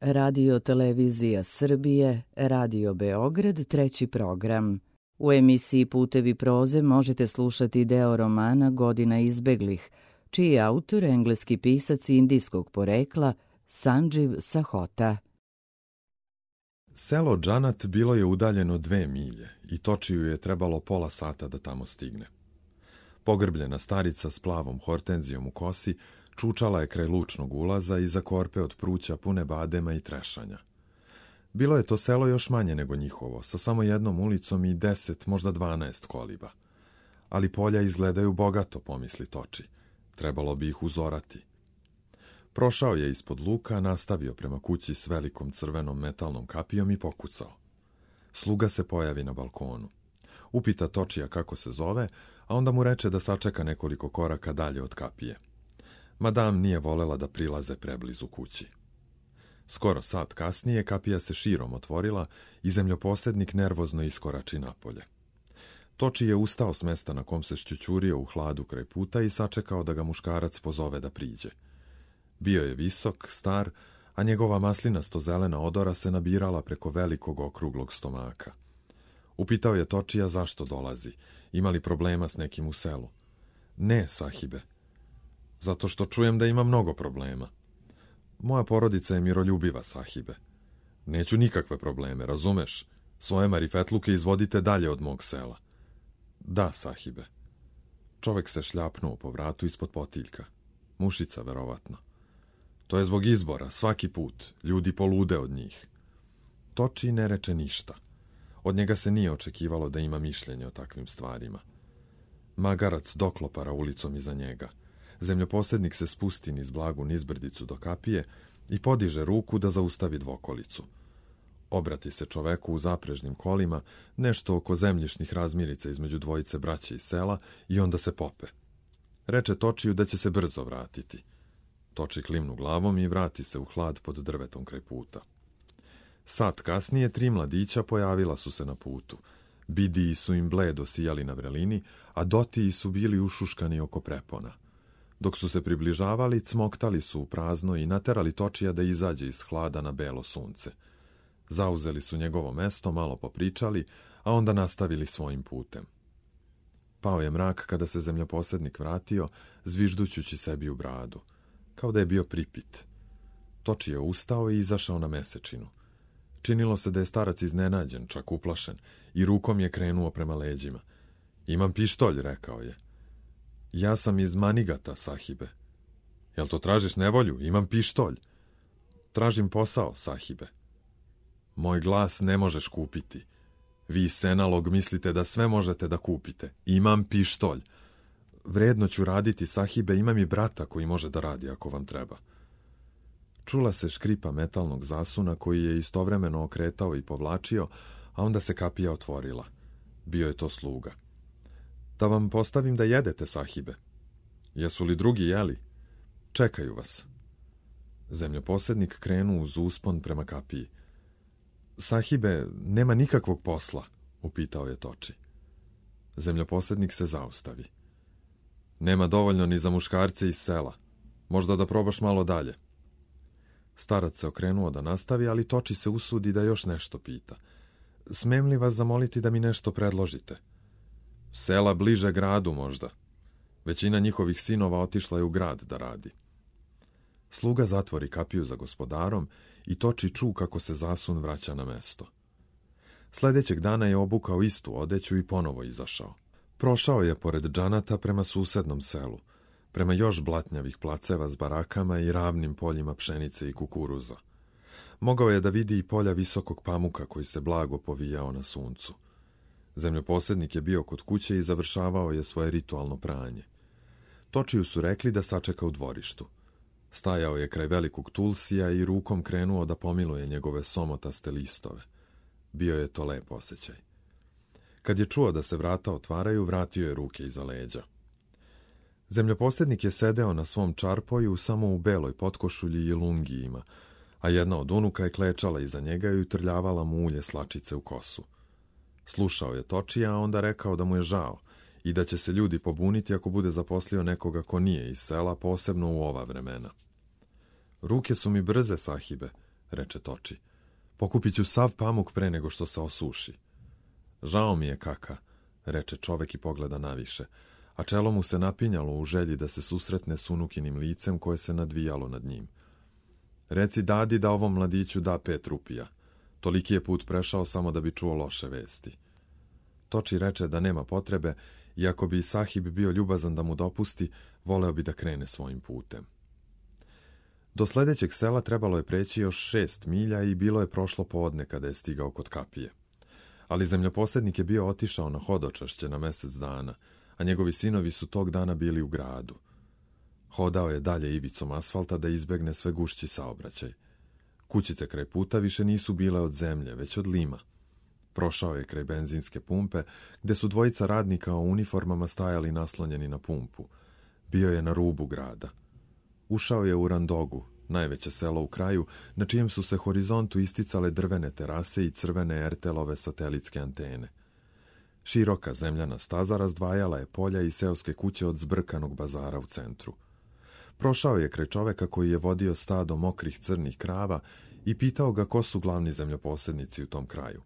Radio Televizija Srbije, Radio Beograd, treći program. U emisiji Putevi proze možete slušati deo romana Godina izbeglih, čiji je autor engleski pisac indijskog porekla Sanđiv Sahota. Selo Džanat bilo je udaljeno 2 milje i Točiju je trebalo pola sata da tamo stigne. Pogrbljena starica s plavom hortenzijom u kosi čučala je kraj lučnog ulaza iza korpe od pruća pune badema i trešanja. Bilo je to selo još manje nego njihovo, sa samo jednom ulicom i 10, možda 12 koliba. Ali polja izgledaju bogato, pomisli Toči. Trebalo bi ih uzorati. Prošao je ispod luka, nastavio prema kući s velikom crvenom metalnom kapijom i pokucao. Sluga se pojavi na balkonu. Upita Točija kako se zove, a onda mu reče da sačeka nekoliko koraka dalje od kapije. Madam nije volela da prilaze preblizu kući. Skoro sat kasnije kapija se širom otvorila i zemljoposednik nervozno iskorači napolje. Toči je ustao s mesta na kom se šćućurio u hladu kraj puta i sačekao da ga muškarac pozove da priđe. Bio je visok, star, a njegova maslinasto-zelena odora se nabirala preko velikog okruglog stomaka. Upitao je Točija zašto dolazi, ima li problema s nekim u selu. Ne, sahibe. Zato što čujem da ima mnogo problema. Moja porodica je miroljubiva, sahibe. Neću nikakve probleme, razumeš? Svoje marifetluke izvodite dalje od mog sela. Da, sahibe. Čovek se šljapnuo po vratu ispod potiljka. Mušica, verovatno. To je zbog izbora, svaki put. Ljudi polude od njih. Toči ne reče ništa. Od njega se nije očekivalo da ima mišljenje o takvim stvarima. Magarac doklopara ulicom iza njega. Zemljoposednik se spusti niz blagu nizbrdicu do kapije i podiže ruku da zaustavi dvokolicu. Obrati se čoveku u zaprežnim kolima, nešto oko zemljišnih razmirica između dvojice braće iz sela i onda se pope. Reče Točiju da će se brzo vratiti. Toči klimnu glavom i vrati se u hlad pod drvetom kraj puta. Sat kasnije 3 mladića pojavila su se na putu. Bidiji su im bledo sijali na vrelini, a dotiji su bili ušuškani oko prepona. Dok su se približavali, cmoktali su u prazno i naterali Točija da izađe iz hlada na belo sunce. Zauzeli su njegovo mesto, malo popričali, a onda nastavili svojim putem. Pao je mrak kada se zemljoposednik vratio, zviždućući sebi u bradu, kao da je bio pripit. Toči je ustao i izašao na mesečinu. Činilo se da je starac iznenađen, čak uplašen, i rukom je krenuo prema leđima. Imam pištolj, rekao je. Ja sam iz Manigata, sahibe. Jel to tražiš nevolju? Imam pištolj. Tražim posao, sahibe. Moj glas ne možeš kupiti. Vi, senalog, mislite da sve možete da kupite. Imam pištolj. Vredno ću raditi, sahibe, imam i brata koji može da radi ako vam treba. Čula se škripa metalnog zasuna koji je istovremeno okretao i povlačio, a onda se kapija otvorila. Bio je to sluga. Da vam postavim da jedete, sahibe. Jesu li drugi jeli? Čekaju vas. Zemljoposednik krenuo uz uspon prema kapiji. Sahibe, nema nikakvog posla, upitao je Toči. Zemljoposednik se zaustavi. Nema dovoljno ni za muškarce iz sela. Možda da probaš malo dalje. Starac se okrenuo da nastavi, ali Toči se usudi da još nešto pita. Smem li vas zamoliti da mi nešto predložite? Sela bliže gradu možda. Većina njihovih sinova otišla je u grad da radi. Sluga zatvori kapiju za gospodarom i Toči ču kako se zasun vraća na mesto. Sljedećeg dana je obukao istu odeću i ponovo izašao. Prošao je pored Džanata prema susednom selu, prema još blatnjavih placeva s barakama i ravnim poljima pšenice i kukuruza. Mogao je da vidi i polja visokog pamuka koji se blago povijao na suncu. Zemljoposednik je bio kod kuće i završavao je svoje ritualno pranje. Točiju su rekli da sačeka u dvorištu. Stajao je kraj velikog tulsija i rukom krenuo da pomiluje njegove somotaste listove. Bio je to lep osjećaj. Kad je čuo da se vrata otvaraju, vratio je ruke iza leđa. Zemljoposednik je sedeo na svom čarpoju samo u beloj potkošulji i lungijima, a jedna od unuka je klečala iza njega i utrljavala mu ulje slačice u kosu. Slušao je Točija, a onda rekao da mu je žao i da će se ljudi pobuniti ako bude zaposlio nekoga ko nije iz sela, posebno u ova vremena. Ruke su mi brze, sahibe, reče Toči. Pokupit ću sav pamuk pre nego što se osuši. Žao mi je, kaka, reče čovek i pogleda naviše, a čelo mu se napinjalo u želji da se susretne s unukinim licem koje se nadvijalo nad njim. Reci dadi da ovom mladiću da 5 rupija. Toliki je put prešao samo da bi čuo loše vesti. Toči reče da nema potrebe, iako bi sahib bio ljubazan da mu dopusti, voleo bi da krene svojim putem. Do sledećeg sela trebalo je preći još 6 milja i bilo je prošlo podne kada je stigao kod kapije. Ali zemljoposednik je bio otišao na hodočašće na mesec dana, a njegovi sinovi su tog dana bili u gradu. Hodao je dalje ivicom asfalta da izbegne sve gušći saobraćaj. Kućice kraj puta više nisu bile od zemlje, već od lima. Prošao je kraj benzinske pumpe, gde su dvojica radnika u uniformama stajali naslonjeni na pumpu. Bio je na rubu grada. Ušao je u Randogu, najveće selo u kraju, na čijem su se horizontu isticale drvene terase i crvene ertelove satelitske antene. Široka zemljana staza razdvajala je polja i seoske kuće od zbrkanog bazara u centru. Prošao je kraj čoveka koji je vodio stado mokrih crnih krava i pitao ga ko su glavni zemljoposednici u tom kraju.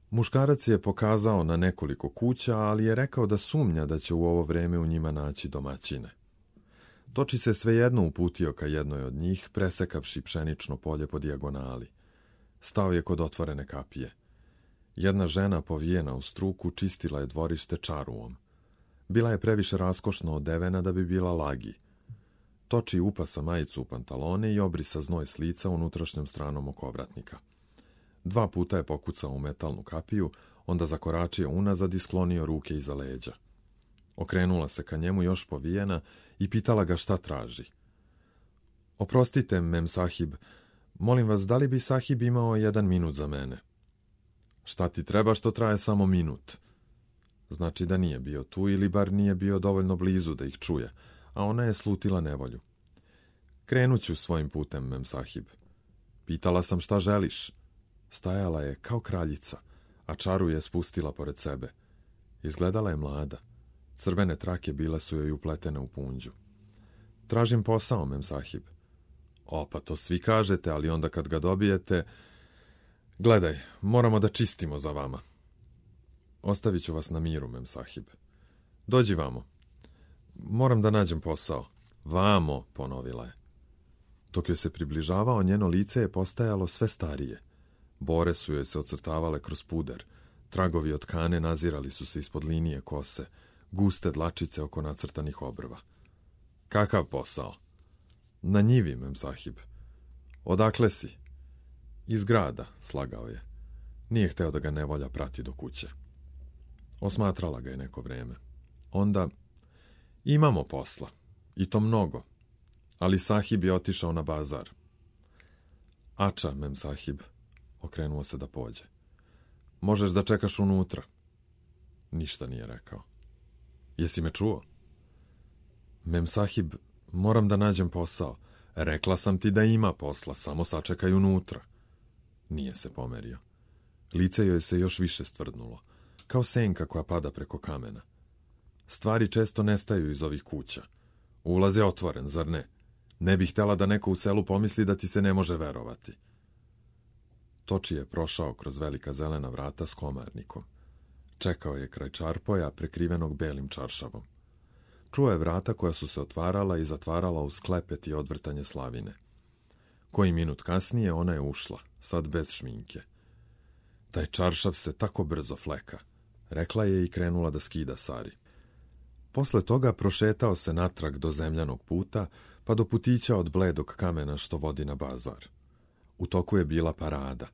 Muškarac je pokazao na nekoliko kuća, ali je rekao da sumnja da će u ovo vreme u njima naći domaćine. Toči se svejedno uputio ka jednoj od njih, presekavši pšenično polje po dijagonali. Stao je kod otvorene kapije. Jedna žena povijena u struku čistila je dvorište čaruom. Bila je previše raskošno odevena da bi bila lagi. Toči upasa majicu u pantalone i obrisa znoj s lica unutrašnjom stranom okovratnika. 2 puta je pokucao u metalnu kapiju, onda zakoračio unazad i sklonio ruke iza leđa. Okrenula se ka njemu još povijena i pitala ga šta traži. Oprostite, mem sahib, molim vas, da li bi sahib imao 1 minut za mene? Šta ti treba što traje samo minut? Znači da nije bio tu ili bar nije bio dovoljno blizu da ih čuje, a ona je slutila nevolju. Krenut ću svojim putem, mem sahib. Pitala sam šta želiš. Stajala je kao kraljica, a čaru je spustila pored sebe. Izgledala je mlada. Crvene trake bile su joj upletene u punđu. Tražim posao, mem sahib. O, pa to svi kažete, ali onda kad ga dobijete... Gledaj, moramo da čistimo za vama. Ostavit ću vas na miru, mem sahib. Dođi vamo. Moram da nađem posao. Vamo, ponovila je. Dok joj se približavao, njeno lice je postajalo sve starije. Bore su joj se ocrtavale kroz puder. Tragovi od kane nazirali su se ispod linije kose, guste dlačice oko nacrtanih obrva. Kakav posao? Na njivi, mem sahib. Odakle si? Iz grada, slagao je. Nije hteo da ga nevolja prati do kuće. Osmatrala ga je neko vreme. Onda, imamo posla. I to mnogo. Ali sahib je otišao na bazar. Ača, mem sahib. Okrenuo se da pođe. Možeš da čekaš unutra. Ništa nije rekao. Jesi me čuo? Mem sahib, moram da nađem posao. Rekla sam ti da ima posla, samo sačekaj unutra. Nije se pomerio. Lice joj se još više stvrdnulo, kao senka koja pada preko kamena. Stvari često nestaju iz ovih kuća. Ulaz je otvoren, zar ne? Ne bih htjela da neko u selu pomisli da ti se ne može verovati. Toči je prošao kroz velika zelena vrata s komarnikom. Čekao je kraj čarpoja prekrivenog belim čaršavom. Čuo je vrata koja su se otvarala i zatvarala uz klepet i odvrtanje slavine. Koji minut kasnije ona je ušla, sad bez šminke. Taj čaršav se tako brzo fleka, rekla je i krenula da skida sari. Posle toga prošetao se natrag do zemljanog puta, pa do putića od bledog kamena što vodi na bazar. U toku je bila parada.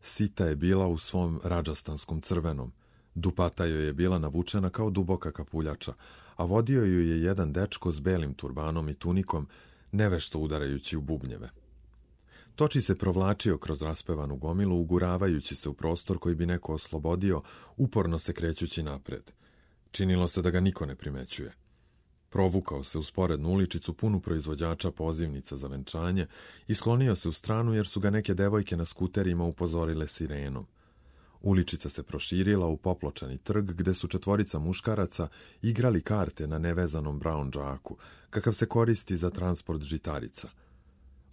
Sita je bila u svom radžastanskom crvenom, dupata joj je bila navučena kao duboka kapuljača, a vodio ju je jedan dečko s belim turbanom i tunikom, nevešto udarajući u bubnjeve. Toči se provlačio kroz raspevanu gomilu, uguravajući se u prostor koji bi neko oslobodio, uporno se krećući napred. Činilo se da ga niko ne primećuje. Provukao se u sporednu uličicu punu proizvođača pozivnica za venčanje i sklonio se u stranu jer su ga neke devojke na skuterima upozorile sirenom. Uličica se proširila u popločani trg gde su 4 muškaraca igrali karte na nevezanom brown džaku, kakav se koristi za transport žitarica.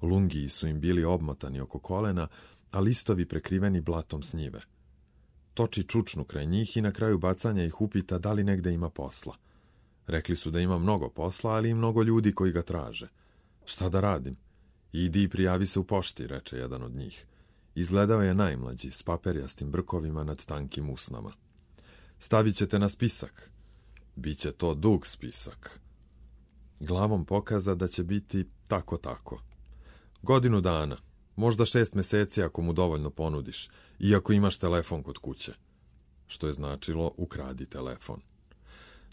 Lungiji su im bili obmotani oko kolena, a listovi prekriveni blatom s njive. Toči čučnu kraj njih i na kraju bacanja ih upita da li negde ima posla. Rekli su da ima mnogo posla, ali i mnogo ljudi koji ga traže. Šta da radim? Idi i prijavi se u pošti, reče jedan od njih. Izgledao je najmlađi, s paperjastim brkovima nad tankim usnama. Stavit ćete na spisak. Biće to dug spisak. Glavom pokaza da će biti tako. Godinu dana, možda 6 meseci ako mu dovoljno ponudiš, i ako imaš telefon kod kuće. Što je značilo ukradi telefon.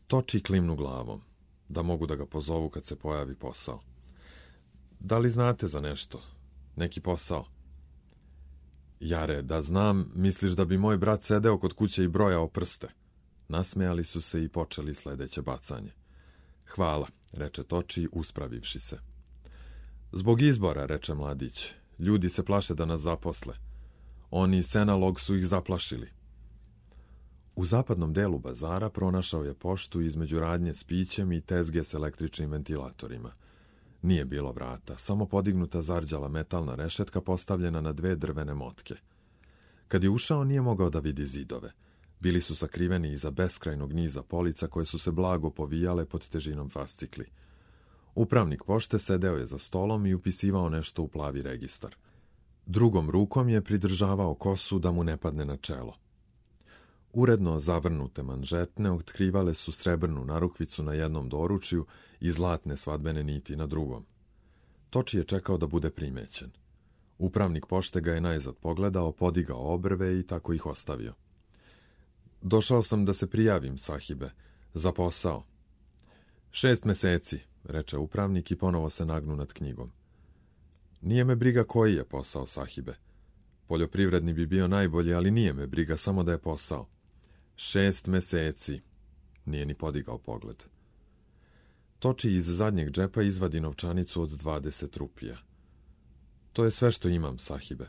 Toči klimnu glavom, da mogu da ga pozovu kad se pojavi posao. Da li znate za nešto? Neki posao? Jare, da znam, misliš da bi moj brat sedeo kod kuće i brojao prste? Nasmejali su se i počeli sledeće bacanje. Hvala, reče Toči, uspravivši se. Zbog izbora, reče mladić, ljudi se plaše da nas zaposle. Oni Senalog su ih zaplašili. U zapadnom delu bazara pronašao je poštu između radnje s pićem i tezge s električnim ventilatorima. Nije bilo vrata, samo podignuta zarđala metalna rešetka postavljena na 2 drvene motke. Kad je ušao, nije mogao da vidi zidove. Bili su sakriveni iza beskrajnog niza polica koje su se blago povijale pod težinom fascikli. Upravnik pošte sedeo je za stolom i upisivao nešto u plavi registar. Drugom rukom je pridržavao kosu da mu ne padne na čelo. Uredno zavrnute manžetne otkrivale su srebrnu narukvicu na jednom doručju i zlatne svadbene niti na drugom. Toči je čekao da bude primećen. Upravnik pošte ga je najzad pogledao, podigao obrve i tako ih ostavio. Došao sam da se prijavim, sahibe, za posao. 6 meseci, reče upravnik i ponovo se nagnu nad knjigom. Nije me briga koji je posao, sahibe. Poljoprivredni bi bio najbolji, ali nije me briga, samo da je posao. 6 meseci. Nije ni podigao pogled. Toči iz zadnjeg džepa izvadi novčanicu od 20 rupija. To je sve što imam, sahibe.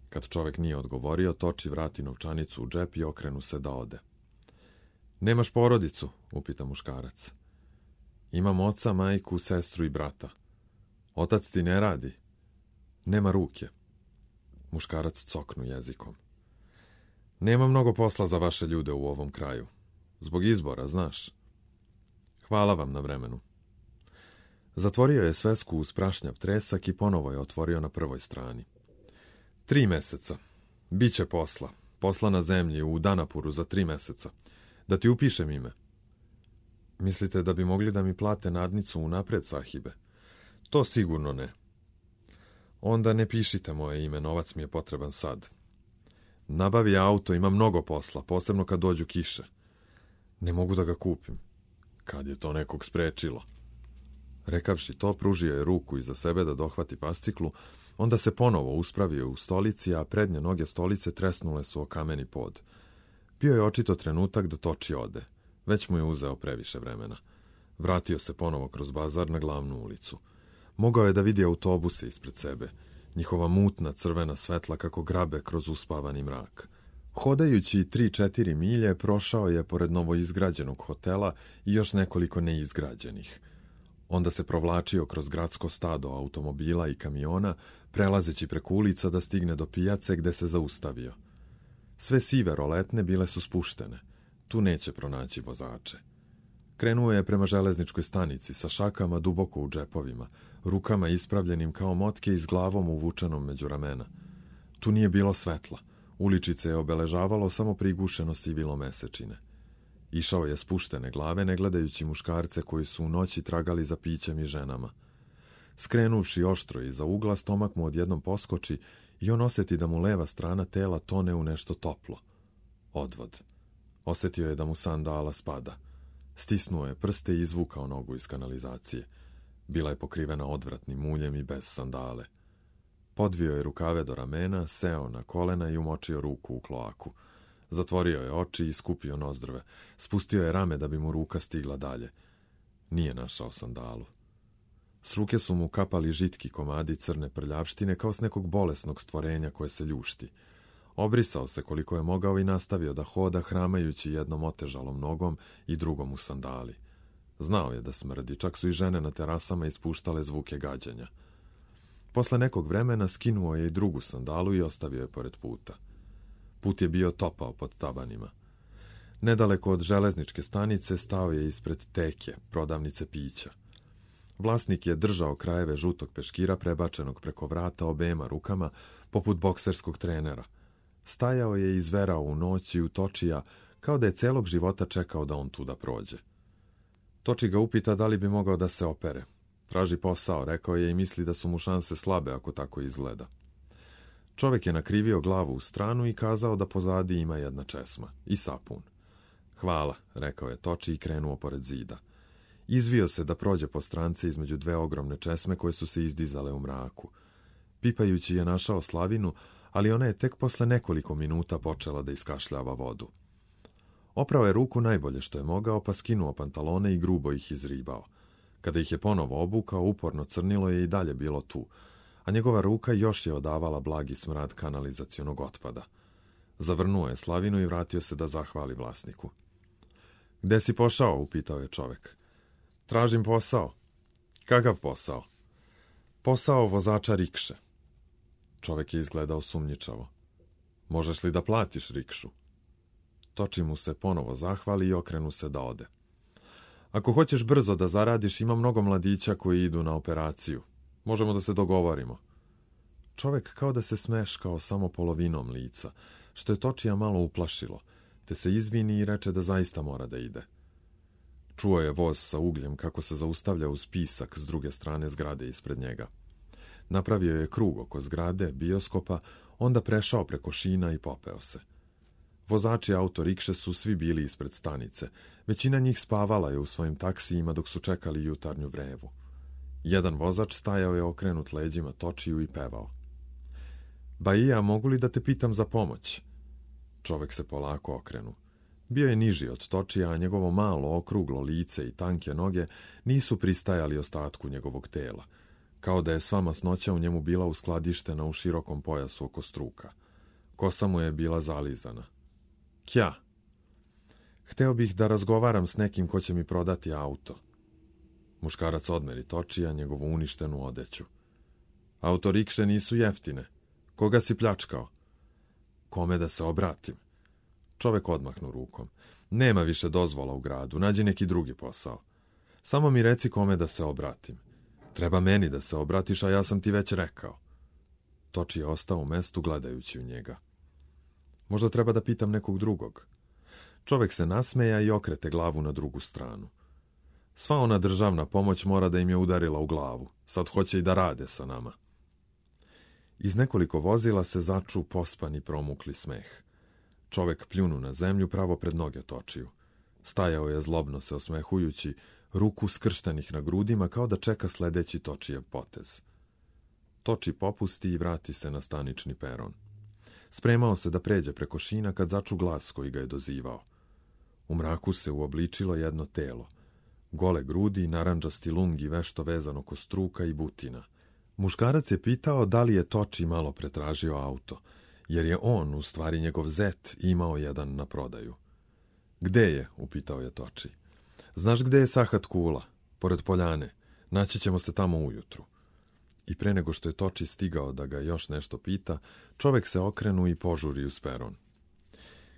Kad čovek nije odgovorio, Toči vrati novčanicu u džep i okrenu se da ode. Nemaš porodicu? Upita muškarac. Imam oca, majku, sestru i brata. Otac ti ne radi? Nema ruke. Muškarac coknu jezikom. Nema mnogo posla za vaše ljude u ovom kraju. Zbog izbora, znaš. Hvala vam na vremenu. Zatvorio je svesku uz prašnjav tresak i ponovo je otvorio na prvoj strani. 3 meseca. Biće posla. Posla na zemlji u Danapuru za 3 meseca. Da ti upišem ime. Mislite da bi mogli da mi plate nadnicu unapred, sahibe? To sigurno ne. Onda ne pišite moje ime, novac mi je potreban sad. Nabavi auto, ima mnogo posla, posebno kad dođu kiše. Ne mogu da ga kupim. Kad je to nekog sprečilo? Rekavši to, pružio je ruku iza sebe da dohvati fasciklu, onda se ponovo uspravio u stolici, a prednje noge stolice tresnule su o kameni pod. Bio je očito trenutak da Toči ode. Već mu je uzeo previše vremena. Vratio se ponovo kroz bazar na glavnu ulicu. Mogao je da vidi autobuse ispred sebe, njihova mutna crvena svetla kako grabe kroz uspavani mrak. Hodajući 3-4 milje, prošao je pored novoizgrađenog hotela i još nekoliko neizgrađenih. Onda se provlačio kroz gradsko stado automobila i kamiona, prelazeći preko ulica da stigne do pijace gde se zaustavio. Sve sive roletne bile su spuštene. Tu neće pronaći vozače. Krenuo je prema železničkoj stanici sa šakama duboko u džepovima, rukama ispravljenim kao motke i s glavom uvučenom među ramena. Tu nije bilo svetla. Uličice je obeležavalo samo prigušeno sivilo mesečine. Išao je spuštene glave, ne gledajući muškarce koji su u noći tragali za pićem i ženama. Skrenuvši oštro iza ugla, stomak mu odjednom poskoči i on osjeti da mu leva strana tela tone u nešto toplo. Odvod. Osjetio je da mu sandala spada. Stisnuo je prste i izvukao nogu iz kanalizacije. Bila je pokrivena odvratnim uljem i bez sandale. Podvio je rukave do ramena, seo na kolena i umočio ruku u kloaku. Zatvorio je oči i skupio nozdrve. Spustio je rame da bi mu ruka stigla dalje. Nije našao sandalu. S ruke su mu kapali žitki komadi crne prljavštine kao s nekog bolesnog stvorenja koje se ljušti. Obrisao se koliko je mogao i nastavio da hoda hramajući jednom otežalom nogom i drugom u sandali. Znao je da smrdi, čak su i žene na terasama ispuštale zvuke gađenja. Posle nekog vremena skinuo je i drugu sandalu i ostavio je pored puta. Put je bio topao pod tabanima. Nedaleko od železničke stanice stao je ispred teke, prodavnice pića. Vlasnik je držao krajeve žutog peškira prebačenog preko vrata obema rukama, poput bokserskog trenera. Stajao je i izverao u noći u Točija, kao da je celog života čekao da on tuda prođe. Toči ga upita da li bi mogao da se opere. Traži posao, rekao je, i misli da su mu šanse slabe ako tako izgleda. Čovek je nakrivio glavu u stranu i kazao da pozadi ima jedna česma i sapun. Hvala, rekao je Toči i krenuo pored zida. Izvio se da prođe po strance između dve ogromne česme koje su se izdizale u mraku. Pipajući je našao Slavinu, ali ona je tek posle nekoliko minuta počela da iskašljava vodu. Oprao je ruku najbolje što je mogao, pa skinuo pantalone i grubo ih izribao. Kada ih je ponovo obukao, uporno crnilo je i dalje bilo tu, a njegova ruka još je odavala blagi smrad kanalizacionog otpada. Zavrnuo je Slavinu i vratio se da zahvali vlasniku. Gde si pošao? Upitao je čovek. Tražim posao. Kakav posao? Posao vozača rikše. Čovek je izgledao sumnjičavo. Možeš li da platiš rikšu? Toči mu se ponovo zahvali i okrenu se da ode. Ako hoćeš brzo da zaradiš, ima mnogo mladića koji idu na operaciju. Možemo da se dogovorimo. Čovek kao da se smeškao samo polovinom lica, što je Točija malo uplašilo, te se izvini i reče da zaista mora da ide. Čuo je voz sa ugljem kako se zaustavlja uz pisak s druge strane zgrade ispred njega. Napravio je krug oko zgrade, bioskopa, onda prešao preko šina i popeo se. Vozači autorikše su svi bili ispred stanice. Većina njih spavala je u svojim taksijima dok su čekali jutarnju vrevu. Jedan vozač stajao je okrenut leđima Točiju i pevao. Baija, mogu li da te pitam za pomoć? Čovek se polako okrenu. Bio je niži od Točija, a njegovo malo, okruglo lice i tanke noge nisu pristajali ostatku njegovog tela, kao da je sva masnoća u njemu bila uskladištena u širokom pojasu oko struka. Kosa mu je bila zalizana. Kja? Hteo bih da razgovaram s nekim ko će mi prodati auto. Muškarac odmeri Točija njegovu uništenu odeću. Autorikše nisu jeftine. Koga si pljačkao? Kome da se obratim? Čovek odmahnu rukom. Nema više dozvola u gradu, nađi neki drugi posao. Samo mi reci kome da se obratim. Treba meni da se obratiš, a ja sam ti već rekao. Toči je ostao u mestu gledajući u njega. Možda treba da pitam nekog drugog. Čovek se nasmeja i okrete glavu na drugu stranu. Sva ona državna pomoć mora da im je udarila u glavu. Sad hoće i da rade sa nama. Iz nekoliko vozila se začu pospani promukli smeh. Čovek pljunu na zemlju pravo pred noge Točiju. Stajao je zlobno se osmehujući, ruku skrštenih na grudima kao da čeka sledeći Točijev potez. Toči popusti i vrati se na stanični peron. Spremao se da pređe preko šina kad začu glas koji ga je dozivao. U mraku se uobličilo jedno telo. Gole grudi, narandžasti lungi vešto vezano ko struka i butina. Muškarac je pitao da li je Toči malo pretražio auto, jer je on, u stvari njegov zet, imao jedan na prodaju. Gde je? Upitao je Toči. Znaš gde je Sahat Kula? Pored poljane. Naći ćemo se tamo ujutru. I pre nego što je Toči stigao da ga još nešto pita, čovek se okrenu i požuri uz peron.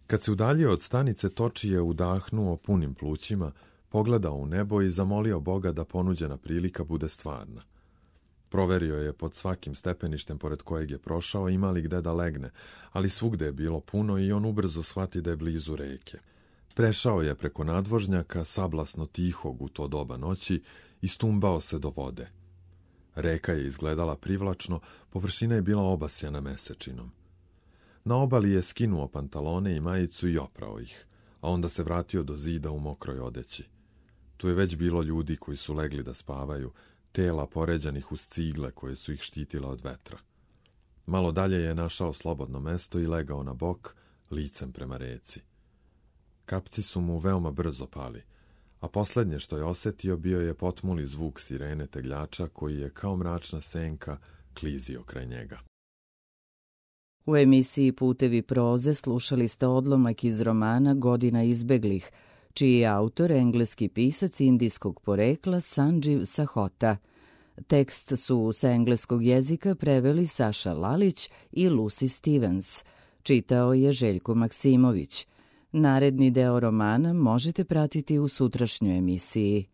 Kad se udaljio od stanice, Toči je udahnuo punim plućima, pogledao u nebo i zamolio Boga da ponuđena prilika bude stvarna. Proverio je pod svakim stepeništem pored kojeg je prošao ima li gde da legne, ali svugde je bilo puno i on ubrzo shvati da je blizu reke. Prešao je preko nadvožnjaka, sablasno tihog u to doba noći, i stumbao se do vode. Reka je izgledala privlačno, površina je bila obasjana mesečinom. Na obali je skinuo pantalone i majicu i oprao ih, a onda se vratio do zida u mokroj odeći. Tu je već bilo ljudi koji su legli da spavaju, tela poređanih uz cigle koje su ih štitile od vetra. Malo dalje je našao slobodno mesto i legao na bok, licem prema reci. Kapci su mu veoma brzo pali, a poslednje što je osetio bio je potmuli zvuk sirene tegljača koji je kao mračna senka klizio kraj njega. U emisiji Putevi proze slušali ste odlomak iz romana Godina izbeglih, čiji je autor engleski pisac indijskog porekla Sanđiv Sahota. Tekst su sa engleskog jezika preveli Saša Lalić i Lucy Stevens. Čitao je Željko Maksimović. Naredni deo romana možete pratiti u sutrašnjoj emisiji.